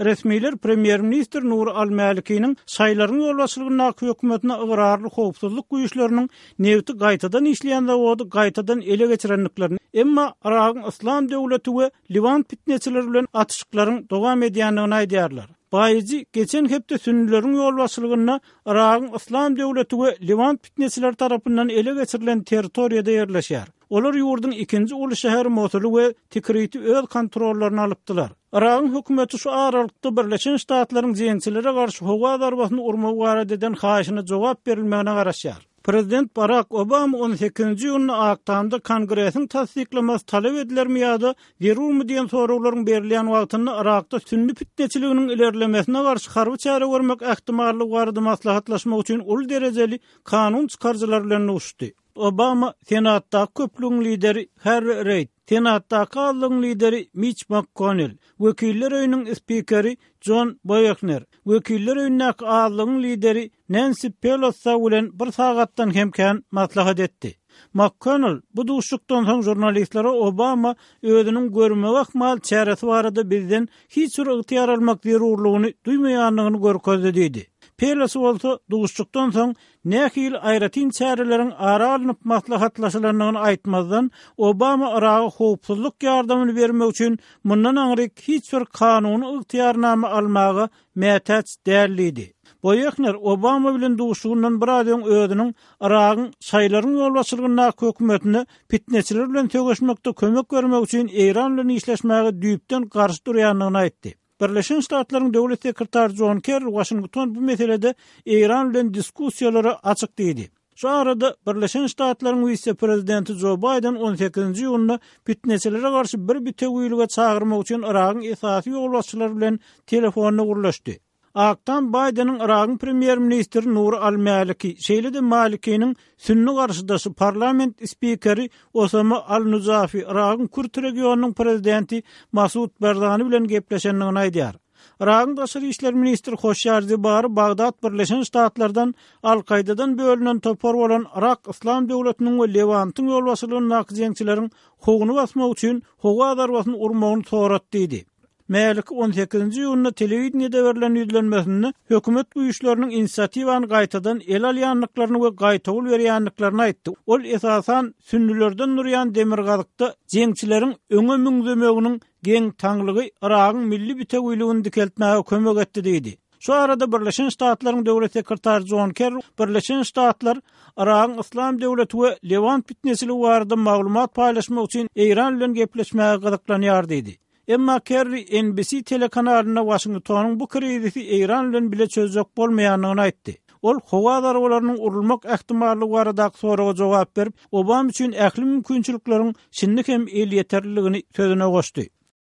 Resmiler premýer-ministr Nuri al-Mälikiniň şaýylaryň ýolbaşçylygyndaky hökümetine ygrarly howpsuzlyk güýçleriniň nebiti gaýtadan işleýän zawody gaýtadan ele geçirendiklerini, emma Yragyň Yslam döwleti we Liwan pitneçileri bilen atyşyklaryň dowam edýändigini aýdýarlar. Baýyjy geçen hepde sünnüleriň ýolbaşçylygynda Yragyň Yslam döwleti we Liwan pitneçileri tarapyndan ele geçirilen territoriýada ýerleşýär. Olar ýurduň ikinji uly şäheri Mosuly we Tikriti öz kontrollaryna alypdylar. Yragyň hökümeti şu aralykda Birleşen Ştatlaryň jeňçilere garşy howa zarbasyny urmagy barada eden haýyşyna jogap berilmegine garaşýar. Prezident Barak Obama on sekizinji iýunda Ak Tamda Kongresiň tassyklamasy talap edilermi ýa-da zerurmy diýen soraglaryň berilýän wagtynda Yrakda sünni pitneçiliginiň ilerlemesine garşy harby çäre görmek ähtimallygy barada maslahatlaşmak üçin uly derejeli kanun çykaryjylar bilen duşuşdy. Obama Senatdaky köplügiň lideri Harri Reýd, Senatdaky azlygyň lideri Miç MakKonnel, Wekiller öýüniň spikeri Jon Boehner, Wekiller öýündäki azlygyň lideri Nensi Pelosi bilen bir sagatdan hem kän maslahat etdi. MakKonnel bu duşuşykdan soň žurnalistlere Obama özüniň görmegi ahmal çäresi barada bizden hiç bir ygtyýar almak zerurlygyny duýmaýandygyny görkezdi diýdi. Pelosi bolsa duşuşykdan soň Nähili aýratyn çäreleriň ara alnyp maslahatlaşylandygyny aýtmazdan, Obama Yraga howpsuzlyk ýardamyny bermek üçin mundan aňryk hiç bir kanuny ygtyýarnama almaga mätäç däl diýdi. Boehner Obama bilen duşuşygyndan biraz öň özüniň Yragyň şaýylaryň ýolbaşçylygyndaky hökümetine pitneçiler bilen söweşmekde kömek bermek üçin Eýran bilen işleşmäge düýpden garşy durýandygyny aýtdy. Birleşen Ştatlaryň Döwlet sekretary Jon Kerri Waşington bu meselede Eýran bilen diskussiýalara açyk diýdi. Şu arada, Birleşen Ştatlaryň wise-prezidenti Jo Baýden on sekizinji iýunda pitneçilere garşy bir bitewilige çagyrmak üçin Yragyň esasy ýolbaşçylary bilen telefonda gürleşdi. Ak Tam Baýdeniň Yragyň premýer-ministri Nuri al-Mäliki, şeýle-de Malikiniň Sünni garşydaşy parlament spikeri Osama al-Nujafi Yragyň kürt regionynyň prezidenti Masud Barzani bilen gepleşendigini aýdýar. Yragyň daşary işler ministri Hoşýar Zibari Bagdat Birleşen Ştatlardan Al-Kaýdadan bölünen topar bolan Yrak Yslam döwletiniň we Lewantyň ýolbaşçylygyndaky jeňçileriň howuny basmak üçin howa zarbasyny urmagyny sorat diýdi. Mäliki on sekizinji iýunda telewideniýede berlen ýüzlenmesinde hökümet güýçleriniň inisiatiwany gaýtadan ele alýandyklaryny we gaýtawul berýändiklerini aýtdy. Ol esasan sünnülerden durýan demirgazykda jeňçileriň öňe müňzemeginiň geň-taňlygy Yragyň milli bitewiligini dikeltmäge kömek etdi diýdi. Şu arada Birleşen Ştatlaryň Döwlet sekretary Jon Kerri Birleşen Ştatlar Yragyň Yslam döwleti we Lewant pitneçiligi barada maglumat paýlaşmak üçin Eýran bilen gepleşmäge gyzyklanýar diýdi. Emma Kerri NBC telekanalynda Waşingtonyň bu krizisi Eýran bilen bile çözjek bolmaýandygyny aýtdy. Ol howa zarbalarynyň urulmak ähtimallygy baradaky soraga jogap berip, Obama üçin ähli mümkinçilikleriň şindi hem elýeterliligini sözüne goşdy.